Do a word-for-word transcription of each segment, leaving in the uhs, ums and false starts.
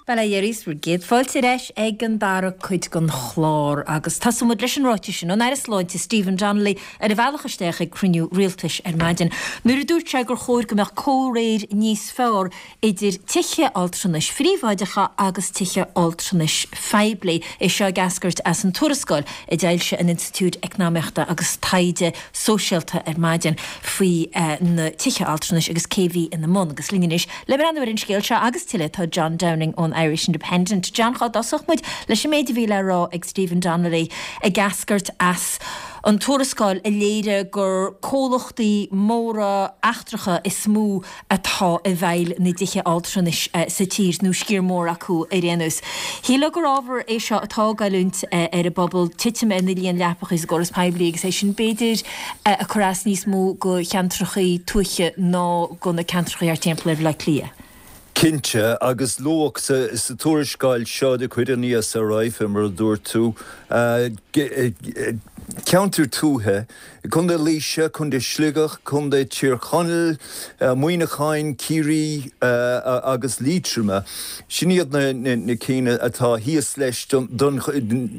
Bail ó Dhia oraibh is bhur gcéad fáilte ar ais ag an dara cuid den chlár agus tosóidh muid leis an ráiteas sin ón Aire Sláinte Stephen Donnelly ar a bhealach isteach ag cruinniú rialtais ar maidin. Nuair a dúirt sé gur chóir go mbeadh comhréir níos fearr idir tithe altranais phríobháideacha agus tithe altranais phoiblí é seo ag eascairt as an tuarascáil a d'fhoilsigh an Institiúid Eacnamaíochta agus Taighde Sóisialta ar maidin faoi eh, na tithe altranais agus cé bhí ina mbun agus linn anois le breathnú ar an scéal seo agus tuilleadh tá John Downing ón Irish Independent. John cá dtosódh muid leis an méid a bhí le rá ag Stephen Donnelly ag eascairt as an tuarascáil a léirigh gur comhlachtaí móra eachtracha is mó atá i bhfeighil na dtithe altranais eh, sa tír nó sciar mór acu ar aon nós. Shílfeá gur ábhar é seo atá ag goilliúint eh, ar an bpobal titim ar na líon leapacha sa gcóras poiblí agus é sin b'fhéidir eh, a chur as níos mó go ceantracha tuaithe ná go na ceantracha ar timpeall ar Bhaile Átha Cliath. Cinnte agus luadh sa, sa tuarascáil seo de chuid an ESRI mar a dúirt tú ceantar tuaithe, Contae Laoise, Contae Shligigh, Contae Thír Chonaill, Muineacháin, Ciarraí agus Liatroma. Sin iad na, na, na cinn atá thíos leis don, don,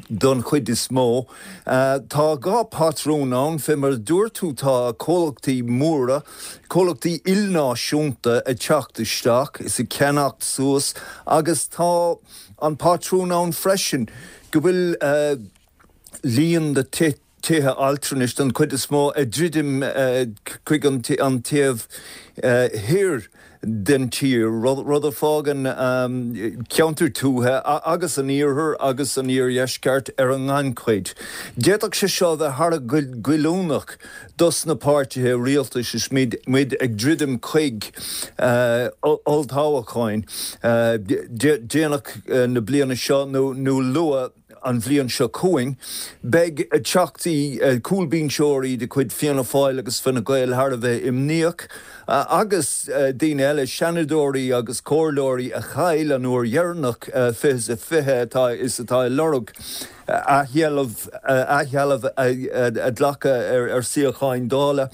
don chuid is mó. Tá dhá patrún ann fé mar dúirt tú tá comhlachtaí móra, comhlachtaí ilnáisiúnta ag teacht isteach is ag ceannacht suas agus tá an patrún ann freisin go bhfuil uh, líon na tithe altranais don chuid is mó ag druidim chuig an an taobh thiar den tír rud a fhágann ceantar tuaithe agus an iarthar agus an iardheisceart ar an ngannchuid. D'fhéadfadh sé seo bheith thar goilliúnach dos na páirtithe rialtais is muid ag druidim chuig olltoghcháin déanach na bliana seo nó nó luath an bhliain seo chugainn, beidh teachtaí cúlbhinseoirí de chuid Fianna Fáil agus Fine Gael thar a bheith imníoch agus daoine eile seanadóirí agus comhairleoirí a chaill an uair dheireanach fiche a fiche atá is atá ag lorg athsheilbh athsheilbh a ghlacadh ar ar suíocháin Dála.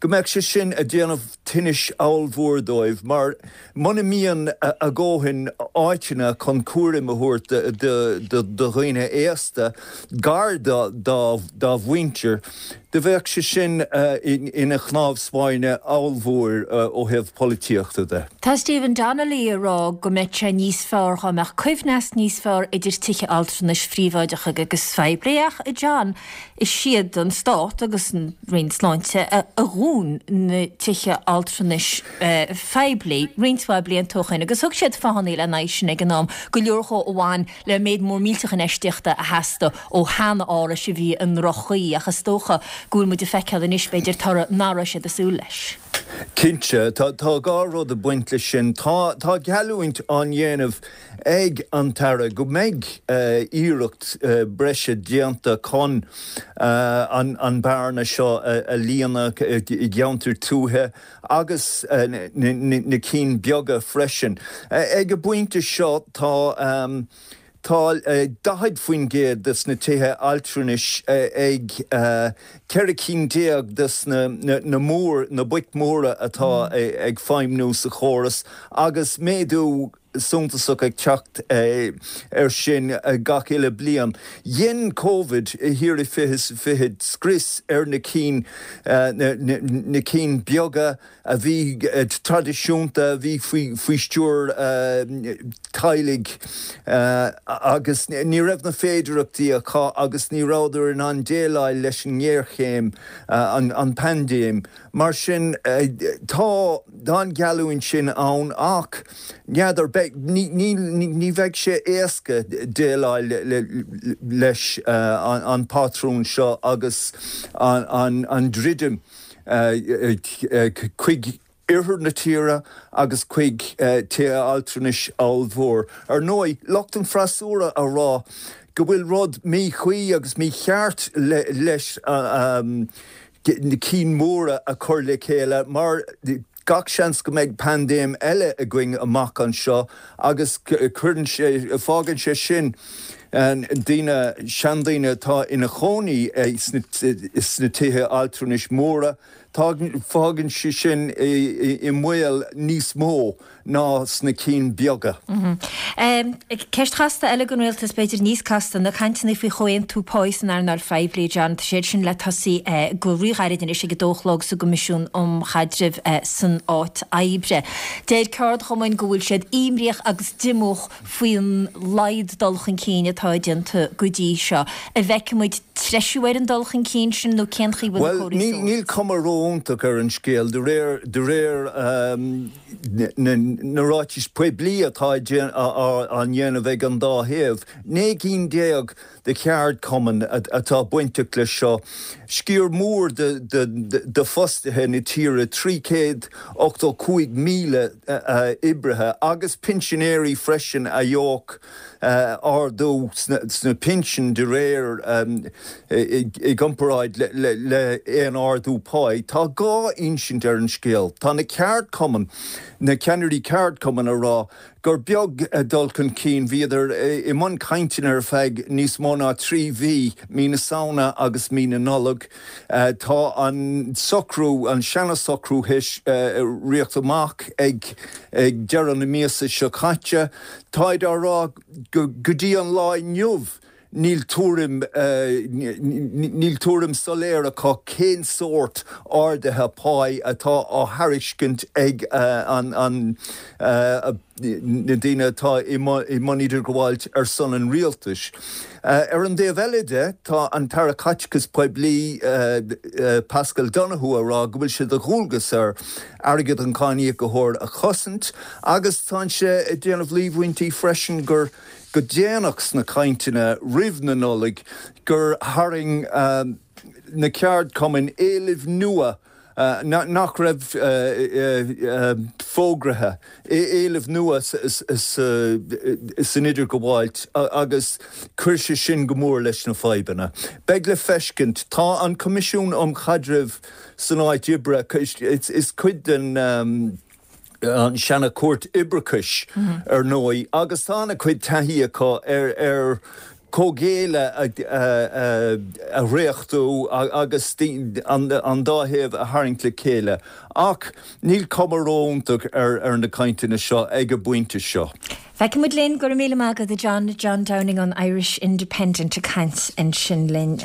Go mbeadh sé sin ag déanamh tinnis ollmhór dóibh mar muna mbíonn a ndóthain áiteanna chun cúram a thabhairt do dhaoine aosta gar dá mhuintir, do bheadh sé sin ina chnámh spairne ollmhór ó thaobh polaitíochta de. Tá Stephen Donnelly ag rá go mbeadh sé níos fearr dá mbeadh coibhneas níos fearr idir tithe altranais phríobháideacha agus phoiblí ach John is iad an stát agus an Roinn Sláinte a dhún na tithe altranais phoiblí roinnt mhaith blianta ó shin agus thug siad fáthanna lena aghaidh sin ag an am go leor a bhain le méid mór millteach infheistíochta a theastaigh ó shean-árais a bhí i ndroch-chaoi ach is dócha go bhfuil muid ag feiceáil anois b'fhéidir toradh nach raibh siad ag súil leis. Cinnte tá dhá rud ag baint leis sin tá tá geallúint á dhéanamh ag an tAire go mbeidh iarracht breise déanta chun an an bearna seo a líonadh i gceantar tuaithe agus na cinn beaga freisin. Ag an bpointe seo tá Tá daichead faoin gcéad des na tithe altranais ag ceithre cinn déag des na na mór na boic mhóra atá ag feidhmiú sa chóras agus méadú suntasach ag teacht ar sin gach uile bliain. Dhein Covid thiar i fiche fiche scrios ar na cinn na cinn beaga a bhí traidisiúnta a bhí faoi faoi stiúir teaghlaigh agus ní raibh na féidearthachtaí acu agus ní rabhadar in ann déileáil leis an ngéarchéim an an paindéim. Mar sin tá an gheallúint sin ann ach n'fheadar ní bheidh sé éasca déileáil leis an patrún seo agus an druidim chuig oirthear na tíre agus chuig tithe altranais ollmhór. Ar ndóigh, lucht an freasúra á rá go bhfuil rud míchuí agus mícheart leis na cinn mhóra a chur le chéile mar gach seans go mbeidh paindéim eile againn amach anseo agus cuireann sé fágann sé sin daoine seandaoine atá ina chónaí sna tithe altranais móra, fágann sé sin i mbaol níos mó ná sna cinn beaga. Ceist chasta eile don rialtas b'fhéidir níos casta na cainteanna faoi chomhaontú pá san earnáil phoiblí John tá siad sin le tosú go ríghairid anois ag a dó a chlog sa gCoimisiún um Chaidreamh san Áit Oibre. Deir ceardchumainn go bhfuil siad imníoch agus díomách faoin laghad dul chun cinn atá déanta go dtí seo. An bhfeicfidh muid treisiú ar an dul chun cinn sin nó cén chaoi bhfuil Well níl cuma ró-iontach ar an scéal de réir de réir na ráitis poiblí atá á ndéanamh ag an dá thaobh. Naoi gcinn déag de cheardchumainn atá bainteach leis seo. Sciar mór de, de, de, de fostaithe na tíre trí chéad ochtó cúig míle oibrithe agus pinsinéirí freisin a gheobhadh ardú sna pinsin de réir i gcomparáid le, le aon ardú páí. Tá dhá insint ar an scéal. Tá na ceardchumainn, na ceannairí ceardchumainn a rá gur beag dul chun cinn bhíodar i mbun cainteanna ar feadh níos mó ná trí mhí mí na Samhna agus mí na Nollag. Tá an socrú an seana-socrú théis rith amach ag ag deireadh na míosa seo caite, Táid á rá go dtí an lá inniu níl tuairim níl tuairim soiléir acu cén sórt ardaithe páí atá á thairiscint ag an an na daoine atá i mbun idirghabháil ar son an rialtais. Ar an dtaobh eile de tá an tAire Caiteachais Poiblí Paschal Donohoe a rá go bhfuil sé de dhualgas air airgead an cháiníocóra a chosaint agus tá sé ag déanamh líomhaintí freisin gur go déanach sna cainteanna roimh na Nollag gur tharraing na ceardchumainn éilimh nua nach raibh fógraithe éilimh nua san idirghabháil agus chuir sé sin go mór leis na fadhbanna. Beidh le feiscint tá an Coimisiún um Chaidreamh san Áit Oibre is cuid den an seana-chúirt oibreachais ar ndóigh agus tá a cuid taithí acu ar ar comhghéilleadh a dhréachtú agus an dá thaobh a tharraingt le chéile. Ach níl cuma ró-iontach ar ar na cainteanna seo ag an bpointe seo. Feicfidh muid linn go raibh míle maith agat John John Downing an Irish Independent ag caint ansin linn.